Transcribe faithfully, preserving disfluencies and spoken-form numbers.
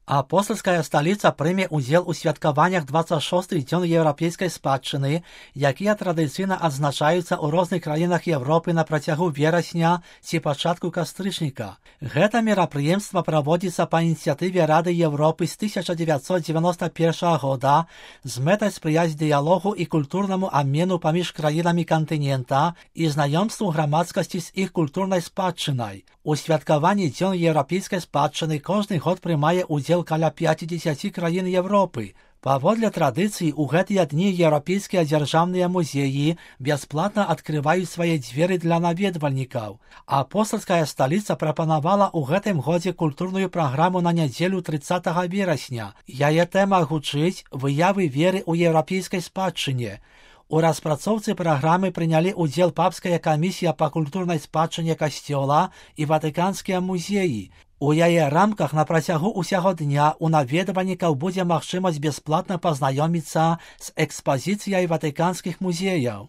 Апостольская столица прийме удзел у святкаваннях двадцать шостых дзён еўрапейскай спадчыны, якія традыцыйна адзначаюцца ў розных краінах Европы на працягу верасня ці пачатку кастрычніка. Гэта мерапрыемства праводзіцца па ініцыятыве Рады Европы з тысяча дзевяцьсот дзевяноста першага года з мэтай спрыяць дыялогу і культурнаму абмену паміж краінамі кантынента і знаёмству грамадскасці з іх культурнай спадчынай. У святкаванні дзён еўрапейскай спадчыны кожны год прымае удзел каля пяцідзесяці краін Европы. Паводле традыцыі, у гэтыя дні еўрапейскія дзяржаўныя музеі бясплатна адкрываюць свае дзверы для наведвальнікаў. Апостольская сталіца прапанавала ў гэтым годзе культурную праграму на нядзелю трыццатага верасня. Яе тэма гучыць «Выявы веры ў еўрапейскай спадчыне». У распрацоўцы праграмы прынялі ўдзел папская камісія па культурнай спадчыне касцёла і ватыканскія музеі. У яе рамках на працягу ўсяго дня у наведвальнікаў будзе магчымасць бясплатна пазнаёміцца з экспазіцыяй ватыканскіх музеяў.